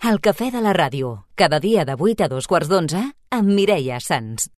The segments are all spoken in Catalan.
El cafè de la ràdio, cada dia de 8 a 2:15 amb Mireia Sans.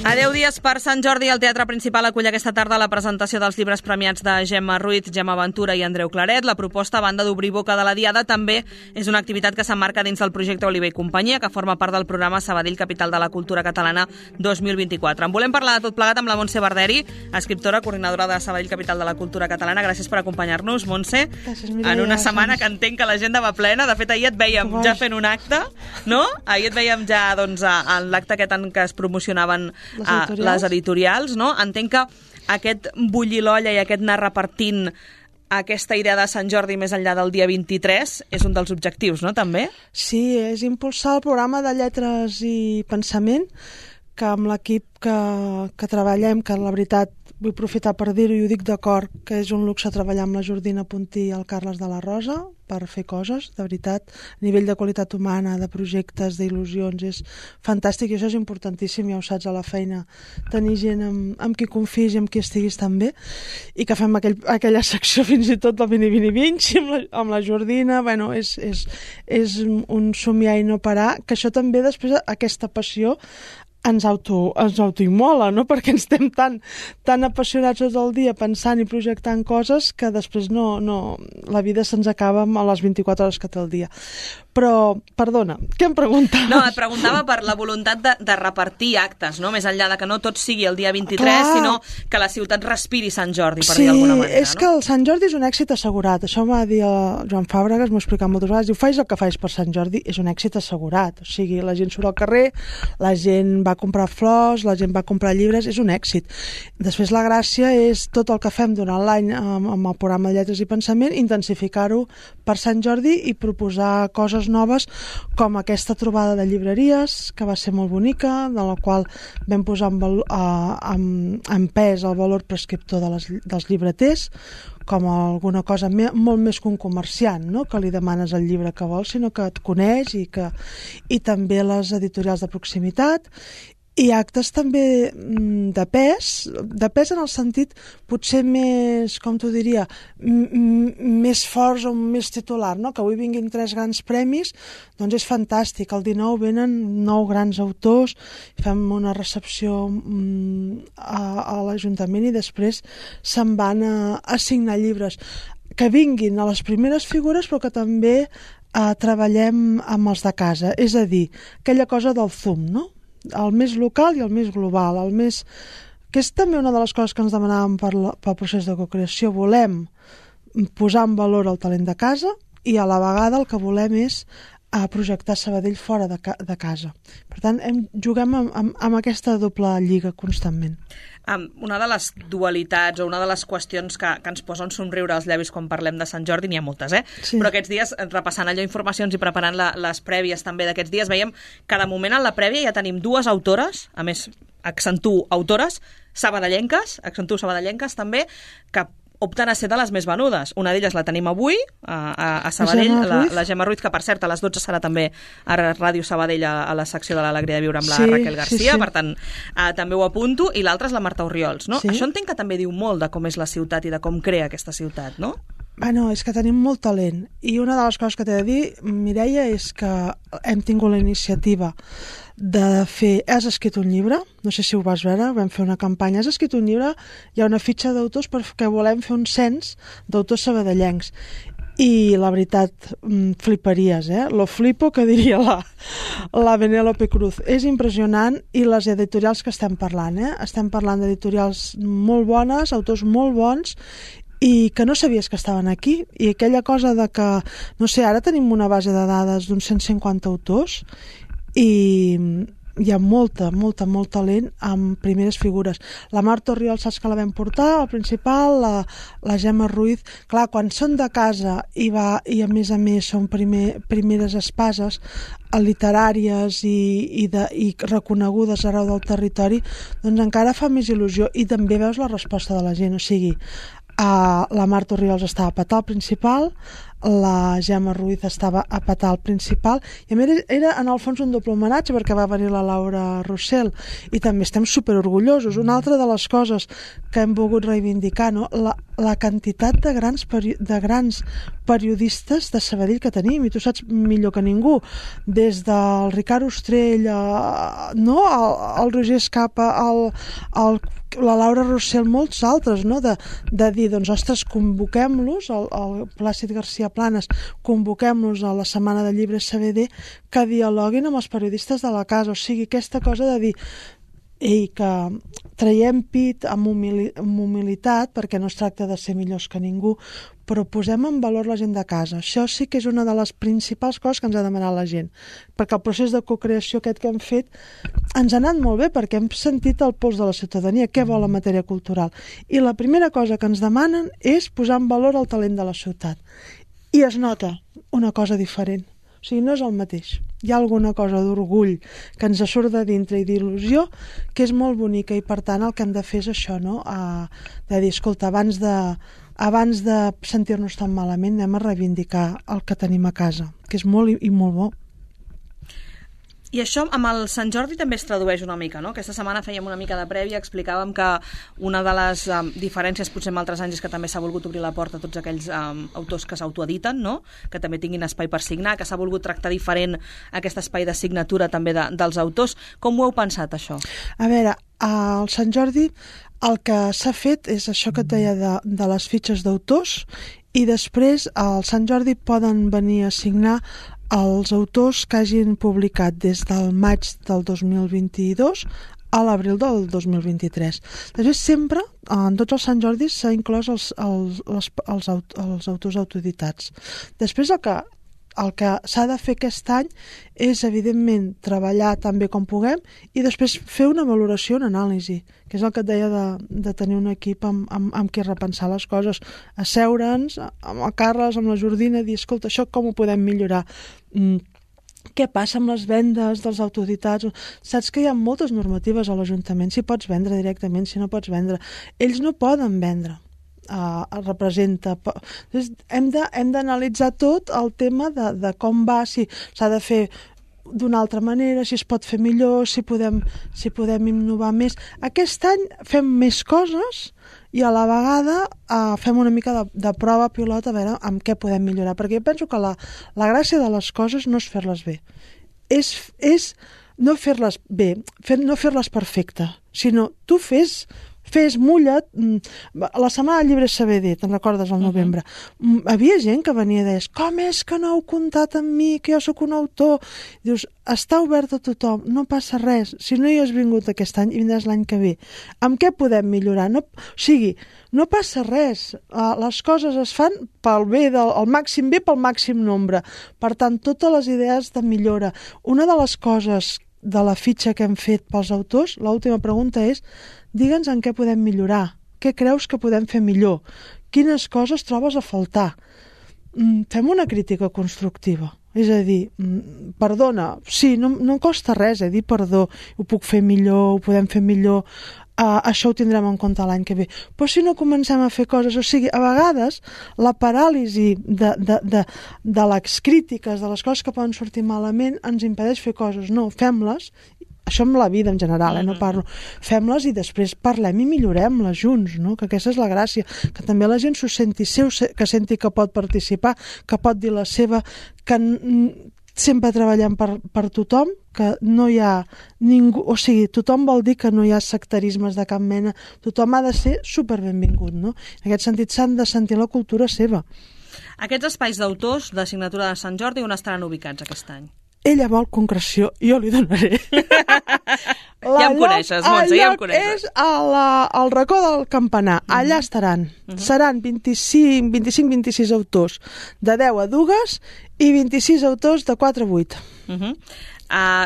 A 10 dies per Sant Jordi, el Teatre Principal acull aquesta tarda la presentació dels llibres premiats de Gemma Ruiz, Gemma Ventura i Andreu Claret. La proposta, a banda d'obrir boca de la Diada, també és una activitat que s'emmarca dins del projecte Oliver i Companyia, que forma part del programa Sabadell Capital de la Cultura Catalana 2024. En volem parlar de tot plegat amb la Montse Barderi, escriptora, coordinadora de Sabadell Capital de la Cultura Catalana. Gràcies per acompanyar-nos, Montse. Gràcies, Mireia. En una setmana que entenc que l'agenda va plena. De fet, ahir et veiem ja fent un acte, no? Ahir et veiem ja doncs, en l'acte aquest en què es promocionaven les editorials, no? Entenc que aquest bullir l'olla i aquest anar repartint aquesta idea de Sant Jordi més enllà del dia 23 és un dels objectius, no, també? Sí, és impulsar el programa de lletres i pensament, que amb l'equip que treballem, que la veritat vull aprofitar per dir-ho i ho dic d'acord, que és un luxe treballar amb la Jordina Puntí i el Carles de la Rosa per fer coses, de veritat, a nivell de qualitat humana, de projectes, d'il·lusions, és fantàstic i això és importantíssim, ja ho saps, a la feina, tenir gent amb qui confis i amb qui estiguis també, i que fem aquella secció fins i tot del vini amb la Jordina, bueno, és un somiar i no parar, que això també després, aquesta passió, ens autoimmola, no? Perquè ens estem tan apassionats tot el dia pensant i projectant coses que després la vida se'ns acaba a les 24 hores que té el dia. Però, perdona, què em preguntaves? No, et preguntava per la voluntat de repartir actes, no? Més enllà de que no tot sigui el dia 23, sinó que la ciutat respiri Sant Jordi, per dir d'alguna manera. Sí, és que el Sant Jordi és un èxit assegurat. Això m'ha dit el Joan Fàbregas, m'ho ha explicat moltes vegades. Diu, faig el que faig per Sant Jordi, és un èxit assegurat. O sigui, la gent surt al carrer, la gent va comprar flors, la gent va comprar llibres, és un èxit. Després la gràcia és tot el que fem durant l'any amb el programa de Lletres i Pensament, intensificar-ho per Sant Jordi i proposar coses noves com aquesta trobada de llibreries, que va ser molt bonica, de la qual vam posar en pes el valor prescriptor dels llibreters, com alguna cosa molt més que un comerciant, no? Que li demanes el llibre que vols, sinó que et coneix i també les editorials de proximitat i actes també de pes en el sentit potser més, com t'ho diria, més forts o més titular, no? Que avui vinguin 3 grans premis, doncs és fantàstic. El 19 venen 9 grans autors, fem una recepció a l'Ajuntament i després se'n van a signar llibres. Que vinguin a les primeres figures però que també treballem amb els de casa, és a dir, aquella cosa del Zoom, no? El més local i el més global, que és també una de les coses que ens demanàvem pel procés de cocreació. Volem posar en valor el talent de casa i a la vegada el que volem és projectar Sabadell fora de casa. Per tant, juguem amb aquesta doble lliga constantment. Una de les dualitats o una de les qüestions que ens posa un somriure als llavis quan parlem de Sant Jordi, n'hi ha moltes, Sí. Però aquests dies, repassant allò informacions i preparant les prèvies també d'aquests dies, veiem que de moment en la prèvia ja tenim 2 autores, a més, accentuo autores, sabadellenques també, que opten a ser de les més venudes. Una d'elles la tenim avui a Sabadell, la Gemma Ruiz, que per cert a les 12 serà també a Ràdio Sabadell a la secció de l'Alegria de Viure amb la Raquel Garcia, per tant també ho apunto, i l'altra és la Marta Orriols, no? Això entenc que també diu molt de com és la ciutat i de com crea aquesta ciutat, no? Bueno, és que tenim molt talent i una de les coses que t'he de dir, Mireia, és que hem tingut la iniciativa de fer... Has escrit un llibre, no sé si ho vas veure, vam fer una campanya, has escrit un llibre, hi ha una fitxa d'autors perquè volem fer un cens d'autors sabadellencs. I la veritat, fliparies, Lo flipo, que diria la Benélope Cruz. És impressionant, i les editorials que estem parlant, Estem parlant d'editorials molt bones, autors molt bons, i que no sabies que estaven aquí, i aquella cosa de que, no sé, ara tenim una base de dades d'uns 150 autors i hi ha molt talent amb primeres figures. La Marta Oriol, saps que la vam portar, el principal, la Gemma Ruiz. Clar, quan són de casa i a més són primeres espases literàries i reconegudes arreu del territori, doncs encara fa més il·lusió i també veus la resposta de la gent. O sigui, la Marta Oriols estava a petar al principal, la Gemma Ruiz estava a petar al principal, i a més era en el fons un doble homenatge perquè va venir la Laura Rossell i també estem superorgullosos. Una altra de les coses que hem volgut reivindicar, no? La quantitat de grans periodistes de Sabadell que tenim, i tu saps millor que ningú, des del Ricard Ostrell, el Roger Escapa, la Laura Rossell, molts altres, no? de dir, doncs, ostres, convoquem-los, el Plàcid García Planes, convoquem-los a la Setmana de Llibres Sabadell, que dialoguin amb els periodistes de la casa. O sigui, aquesta cosa de dir, que traiem pit amb humilitat, perquè no es tracta de ser millors que ningú, però posem en valor la gent de casa. Això sí que és una de les principals coses que ens ha demanat la gent, perquè el procés de cocreació aquest que hem fet ens ha anat molt bé, perquè hem sentit el pols de la ciutadania, què vol en matèria cultural. I la primera cosa que ens demanen és posar en valor el talent de la ciutat. I es nota una cosa diferent. O sigui, no és el mateix. Hi ha alguna cosa d'orgull que ens surt de dintre i d'il·lusió que és molt bonica, i per tant el que hem de fer és això, no? De dir, escolta, abans de sentir-nos tan malament anem a reivindicar el que tenim a casa, que és molt i molt bo. I això amb el Sant Jordi també es tradueix una mica, no? Aquesta setmana fèiem una mica de prèvia, explicàvem que una de les diferències potser amb altres anys és que també s'ha volgut obrir la porta a tots aquells autors que s'autoediten, no? Que també tinguin espai per signar, que s'ha volgut tractar diferent aquest espai de signatura també dels autors. Com ho heu pensat, això? A veure, al Sant Jordi el que s'ha fet és això que et deia de les fitxes d'autors, i després al Sant Jordi poden venir a signar els autors que hagin publicat des del maig del 2022 a l'abril del 2023. Després sempre, en tots els Sant Jordis, s'ha inclòs els autors autoeditats. Després el que s'ha de fer aquest any és, evidentment, treballar tan bé com puguem i després fer una valoració, una anàlisi, que és el que et deia de tenir un equip amb qui repensar les coses, asseure'ns amb el Carles, amb la Jordina, dir, escolta, això com ho podem millorar? Què passa amb les vendes dels autoeditats? Saps que hi ha moltes normatives a l'Ajuntament, si pots vendre directament, si no pots vendre. Ells no poden vendre. Representa. Hem d'analitzar tot el tema de com va, si s'ha de fer d'una altra manera, si es pot fer millor, si podem innovar més. Aquest any fem més coses i a la vegada fem una mica de prova pilot a veure amb què podem millorar, perquè jo penso que la gràcia de les coses no és fer-les bé, és no fer-les bé, no fer-les perfecte, sinó tu fes, mulla't. La Setmana de Llibres Sabadell, te'n recordes, al novembre, havia gent que venia i deies, com és que no heu comptat amb mi, que jo sóc un autor? Dius, està obert a tothom, no passa res, si no hi has vingut aquest any i vindràs l'any que ve. Amb què podem millorar? O sigui, no passa res, les coses es fan pel bé, el màxim bé pel màxim nombre. Per tant, totes les idees de millora. Una de les coses de la fitxa que hem fet pels autors, l'última pregunta és, digue'ns en què podem millorar, què creus que podem fer millor, quines coses trobes a faltar. Fem una crítica constructiva, és a dir, perdona, sí, no costa res dir perdó, ho puc fer millor, ho podem fer millor, això ho tindrem en compte l'any que ve. Però si no comencem a fer coses, o sigui, a vegades la paràlisi de les crítiques, de les coses que poden sortir malament, ens impedeix fer coses. No, fem-les, això amb la vida en general, no parlo, fem-les i després parlem i millorem-les junts, no? Que aquesta és la gràcia, que també la gent s'ho senti seu, que senti que pot participar, que pot dir la seva, que sempre treballem per tothom, que no hi ha ningú, o sigui, tothom vol dir que no hi ha sectarismes de cap mena, tothom ha de ser superbenvingut, no? En aquest sentit s'han de sentir la cultura seva. Aquests espais d'autors de signatura de Sant Jordi on estaran ubicats aquest any? Ella vol concreció, jo li donaré. O Ja em coneixes, Montse, ja em coneixes. És al racó del Campanar. Allà estaran. Seran 25-26 autors de 10 a 2 i 26 autors de 4 a 8.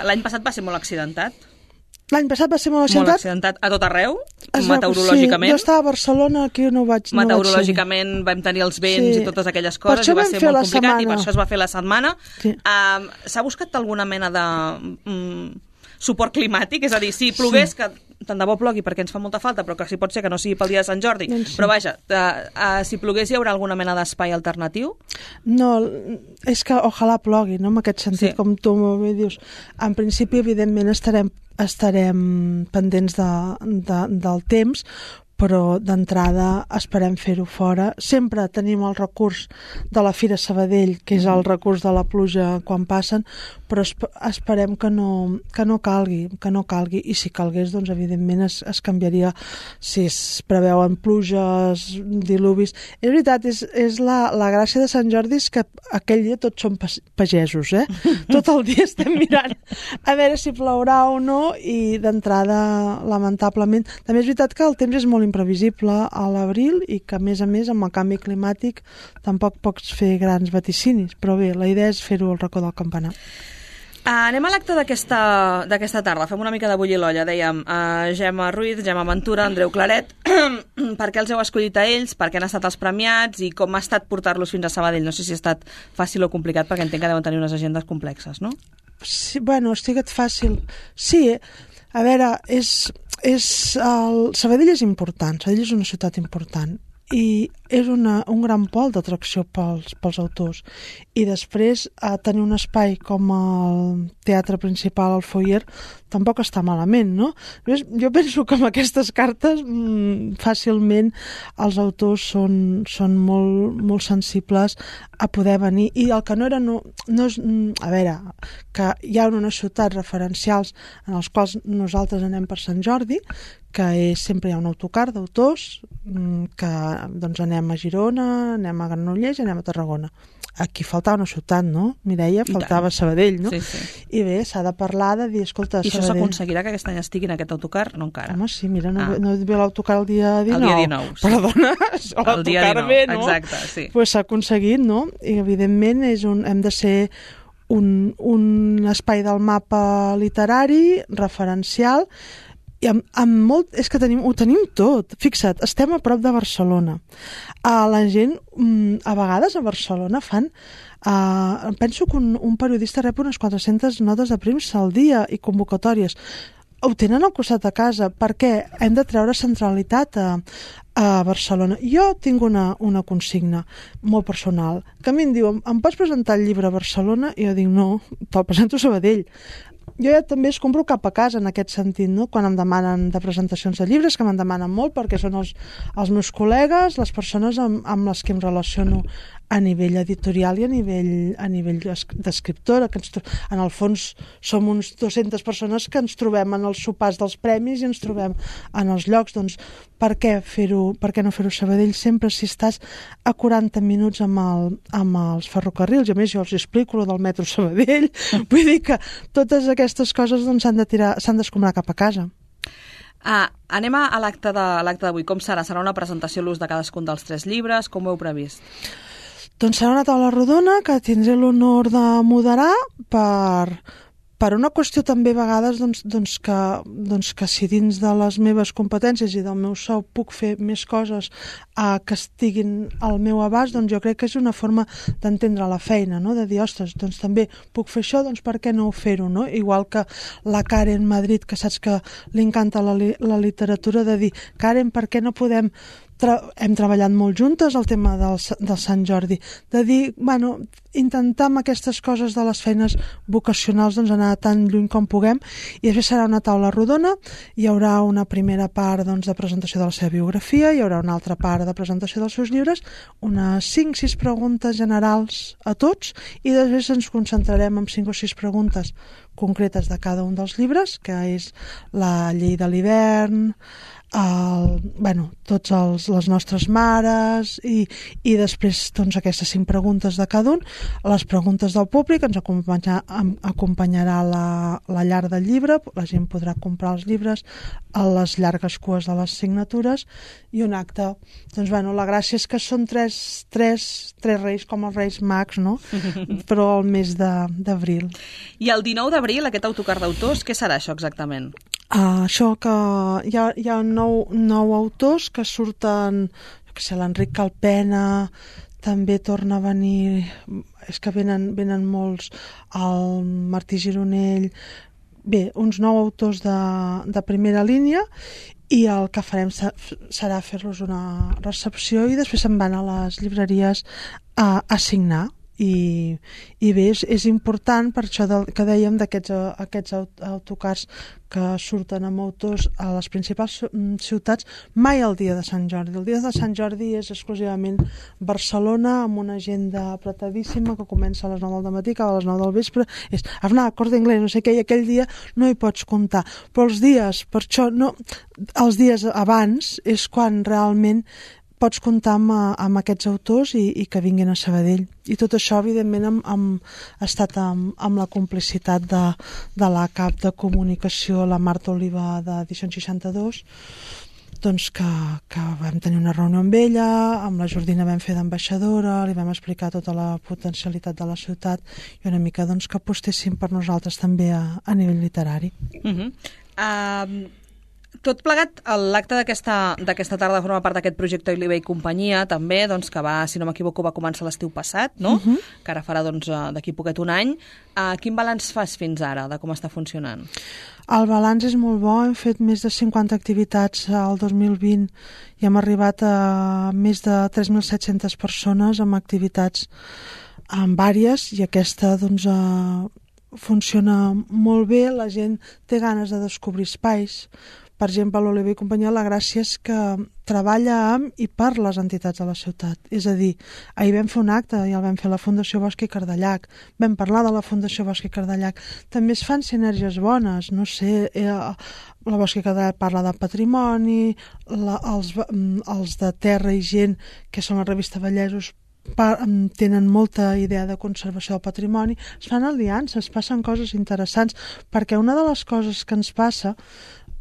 L'any passat va ser molt accidentat. L'any passat va ser molt Molt accidentat. accidentat a tot arreu, meteorològicament. Sí, jo estava a Barcelona, aquí no vaig ser. Meteorològicament vam tenir els vents i totes aquelles coses i va ser molt complicat i per això es va fer la setmana. S'ha buscat alguna mena de suport climàtic? És a dir, si plogués, que tant de bo plogui perquè ens fa molta falta, però que si pot ser que no sigui pel dia de Sant Jordi. Però vaja, si plogués hi haurà alguna mena d'espai alternatiu? No, és que ojalà plogui, no? En aquest sentit, com tu m'ho dius. En principi, evidentment, estarem pendents del temps, però d'entrada esperem fer-ho fora. Sempre tenim el recurs de la Fira Sabadell, que és el recurs de la pluja quan passen, però esperem que no calgui, i si calgués, doncs evidentment es canviaria si es preveuen pluges, diluvis. És veritat, és la gràcia de Sant Jordi és que aquell dia tots som pagesos, Tot el dia estem mirant a veure si plourà o no, i d'entrada, lamentablement, també és veritat que el temps és molt imprevisible a l'abril i que, a més, amb el canvi climàtic tampoc pots fer grans vaticinis, però bé, la idea és fer-ho al racó del Campanar. Anem a l'acte d'aquesta tarda. Fem una mica de bullir l'olla. Dèiem Gemma Ruiz, Gemma Ventura, Andreu Claret. Per què els heu escollit a ells? Per què han estat els premiats? I com ha estat portar-los fins a Sabadell? No sé si ha estat fàcil o complicat, perquè entenc que deuen tenir unes agendes complexes, no? Sí, bueno, ha estat fàcil. Sí, a veure, Sabadell és important, Sabadell és una ciutat important i és un gran pol d'atracció pels autors, i després tenir un espai com el teatre principal, el foyer, tampoc està malament, no? Jo penso que amb aquestes cartes fàcilment els autors són molt sensibles a poder venir, i el que no era no és, a veure, que hi ha unes ciutats referencials en els quals nosaltres anem per Sant Jordi, que sempre hi ha un autocar d'autors, que doncs anem a Girona, anem a Granollers i anem a Tarragona. Aquí faltava una ciutat, no, Mireia? Faltava Sabadell, no? Sí. I bé, s'ha de parlar de dir, escolta, I això s'aconseguirà que aquest any estigui en aquest autocar? No encara. Home, sí, mira, no ve l'autocar el dia 19. El dia 19, sí. Perdona, l'autocar ve, no? Exacte, sí. Pues s'ha aconseguit, no? I evidentment hem de ser un espai del mapa literari, referencial, i és que ho tenim tot. Fixa't, estem a prop de Barcelona. La gent, a vegades a Barcelona fan... penso que un periodista rep unes 400 notes de premsa al dia i convocatòries. Ho tenen al costat de casa, perquè hem de treure centralitat a Barcelona. Jo tinc una consigna molt personal, que a mi em diuen, em pots presentar el llibre a Barcelona? I jo dic, no, te'l presento a Sabadell. Jo ja també es compro cap a casa en aquest sentit, no? Quan em demanen de presentacions de llibres, que me'n demanen molt perquè són els meus col·legues, les persones amb les que em relaciono a nivell editorial i a nivell d'escriptora, que en el fons som uns 200 persones que ens trobem en els sopars dels premis i ens trobem en els llocs. Doncs per què no fer-ho a Sabadell? Sempre si estàs a 40 minuts amb els ferrocarrils, i a més jo els explico lo del metro Sabadell, vull dir que totes aquestes coses doncs, s'han d'escombrar cap a casa. Anem a l'acte d'avui. Com serà? Serà una presentació a l'ús de cadascun dels 3 llibres? Com ho heu previst? Doncs serà una taula rodona que tindré l'honor de moderar per una qüestió també a vegades que si dins de les meves competències i del meu sou puc fer més coses que estiguin al meu abast, doncs jo crec que és una forma d'entendre la feina, no? De dir, ostres, doncs també puc fer això, doncs per què no fer-ho, no? Igual que la Karen Madrid, que saps que li encanta la literatura, de dir, Karen, per què no podem... Hem treballat molt juntes el tema del Sant Jordi, de dir, bueno, intentar amb aquestes coses de les feines vocacionals doncs anar tan lluny com puguem, i després serà una taula rodona, hi haurà una primera part doncs, de presentació de la seva biografia, hi haurà una altra part de presentació dels seus llibres, unes 5-6 preguntes generals a tots, i després ens concentrarem en 5 o 6 preguntes concretes de cada un dels llibres, que és la llei de l'hivern, tots les nostres mares, i després doncs, aquestes 5 preguntes de cada un, les preguntes del públic, ens acompanyarà la llar del llibre, la gent podrà comprar els llibres, a les llargues cues de les signatures, i un acte. Doncs, bueno, la gràcia és que són tres reis, com els Reis Mags, no? Però al mes d'abril. I el 19 d'abril, aquest autocar d'autors, què serà això exactament? Això que hi ha 9 autors que surten, que sé, l'Enric Calpena, també torna a venir, és que venen molts, el Martí Gironell, bé, uns 9 autors de primera línia, i el que farem serà fer-los una recepció i després se'n van a les llibreries a signar. I bé, és important per això que dèiem d'aquests autocars que surten amb autors a les principals ciutats, mai el dia de Sant Jordi. El dia de Sant Jordi és exclusivament Barcelona, amb una agenda apretadíssima que comença a les 9 del matí, acaba a les 9 del vespre, és Arnà, Corte Inglés, no sé què, i aquell dia no hi pots comptar. Però els dies, per això, no, els dies abans és quan realment pots comptar amb aquests autors i que vinguin a Sabadell. I tot això, evidentment, ha estat amb la complicitat de la cap de comunicació, la Marta Oliva d'Edicions 62, doncs que vam tenir una reunió amb ella, amb la Jordina vam fer d'ambaixadora, li vam explicar tota la potencialitat de la ciutat i una mica doncs, que apostessin per nosaltres també a nivell literari. Tot plegat, l'acte d'aquesta tarda forma part d'aquest projecte Oliva i companyia, també, doncs, que va, si no m'equivoco, va començar l'estiu passat, no? Que ara farà d'aquí poquet un any. Quin balanç fas fins ara de com està funcionant? El balanç és molt bo, hem fet més de 50 activitats al 2020 i hem arribat a més de 3.700 persones amb activitats vàries, i aquesta doncs, funciona molt bé, la gent té ganes de descobrir espais. Per exemple, l'Oliva i companyia, la gràcia és que treballa amb i per les entitats de la ciutat. És a dir, ahir vam fer un acte i el vam fer a la Fundació Bosch i Cardellac. Vam parlar de la Fundació Bosch i Cardellac. També es fan sinergies bones, no sé, la Bosch i Cardellac parla de patrimoni, els de Terra i Gent, que són la revista Vallesos, tenen molta idea de conservació del patrimoni. Es fan aliances, passen coses interessants, perquè una de les coses que ens passa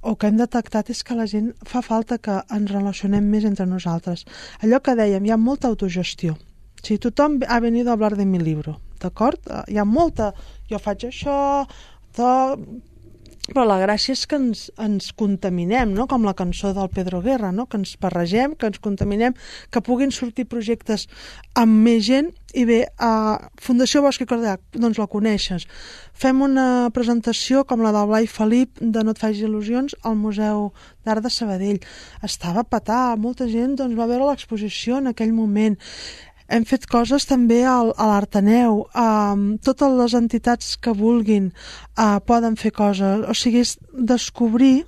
o que hem detectat és que la gent fa falta que ens relacionem més entre nosaltres. Allò que dèiem, hi ha molta autogestió. Si tothom ha venido a hablar de mi libro, d'acord? Hi ha molta, jo faig això, però la gràcia és que ens contaminem, no? Com la cançó del Pedro Guerra, no? Que ens barregem, que ens contaminem, que puguin sortir projectes amb més gent. I bé, a Fundació Bosch i Cardellac, doncs la coneixes. Fem una presentació com la del Blai Felip de No et facis il·lusions al Museu d'Art de Sabadell. Estava a petar, molta gent doncs, va veure l'exposició en aquell moment. Hem fet coses també a l'Arteneu. Totes les entitats que vulguin poden fer coses. O sigui, és descobrir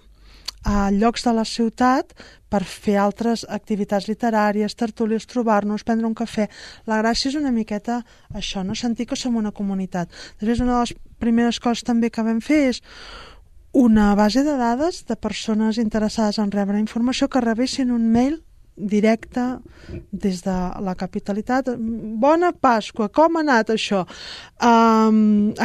llocs de la ciutat per fer altres activitats literàries, tertúlies, trobar-nos, prendre un cafè. La gràcia és una miqueta això, no? Sentir que som una comunitat. Després, una de les primeres coses també que vam fer és una base de dades de persones interessades en rebre informació que rebessin un mail directe des de la capitalitat. Bona Pasqua, com ha anat això?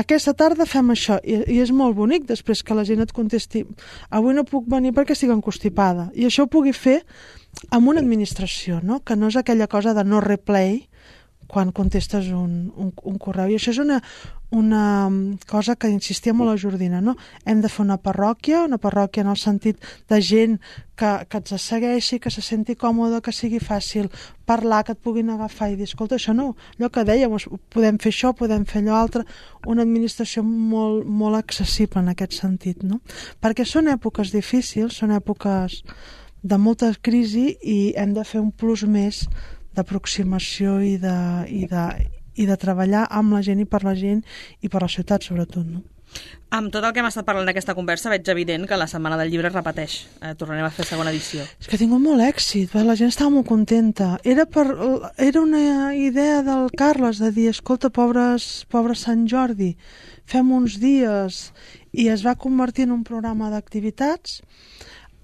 Aquesta tarda fem això, i és molt bonic després que la gent et contesti avui no puc venir perquè estic encostipada, i això ho pugui fer amb una administració, no? Que no és aquella cosa de no replay quan contestes un correu. I això és una cosa que insistia molt a Jordina, no? Hem de fer una parròquia en el sentit de gent que ens segueixi, que se senti còmode, que sigui fàcil parlar, que et puguin agafar i dir, escolta, això no, allò que dèiem, podem fer això, podem fer allò altre, una administració molt, molt accessible en aquest sentit, no? Perquè són èpoques difícils, són èpoques de molta crisi i hem de fer un plus més d'aproximació i de treballar amb la gent i per la gent i per la ciutat, sobretot, no? Amb tot el que hem estat parlant d'aquesta conversa veig evident que la Setmana del Llibre es repeteix. Tornarem a fer segona edició. És que ha tingut molt èxit, la gent estava molt contenta. Era una idea del Carles de dir, escolta, pobre Sant Jordi, fem uns dies, i es va convertir en un programa d'activitats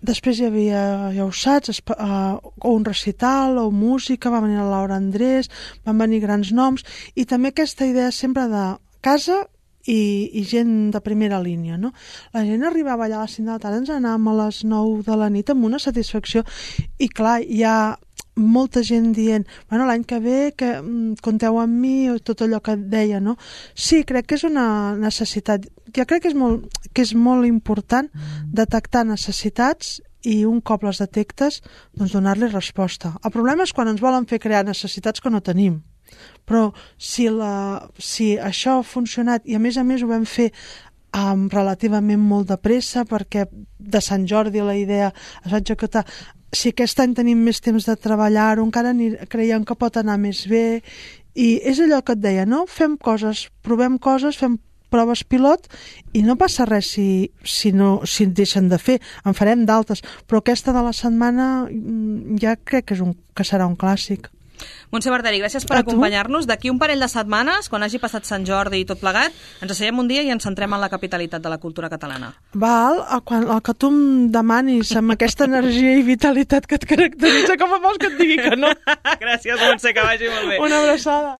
Després hi havia, ja ho saps, o un recital, o música, va venir la Laura Andrés, van venir grans noms, i també aquesta idea sempre de casa i gent de primera línia, no? La gent arribava allà a les 5 de la tarda, ens anàvem a les 9 de la nit amb una satisfacció, i clar, hi ha molta gent dient, bueno, l'any que ve que compteu amb mi, o tot allò que deia, no? Sí, crec que és una necessitat. Jo crec que és molt important detectar necessitats i un cop les detectes, doncs donar-li resposta. El problema és quan ens volen fer crear necessitats que no tenim. Però si això ha funcionat, i a més ho vam fer relativament molt de pressa, perquè de Sant Jordi la idea es va executar. Si aquest any tenim més temps de treballar-ho, encara creiem que pot anar més bé, i és allò que et deia, no? Fem coses, provem coses, fem proves pilot, i no passa res si deixen de fer, en farem d'altres, però aquesta de la setmana ja crec que serà un clàssic. Montse Barteri, gràcies per acompanyar-nos. D'aquí un parell de setmanes, quan hagi passat Sant Jordi i tot plegat, ens asseiem un dia i ens centrem en la capitalitat de la cultura catalana. Val, el que tu em demanis amb aquesta energia i vitalitat que et caracteritza, com a vols que et digui que no? Gràcies, Montse, que vagi molt bé. Una abraçada.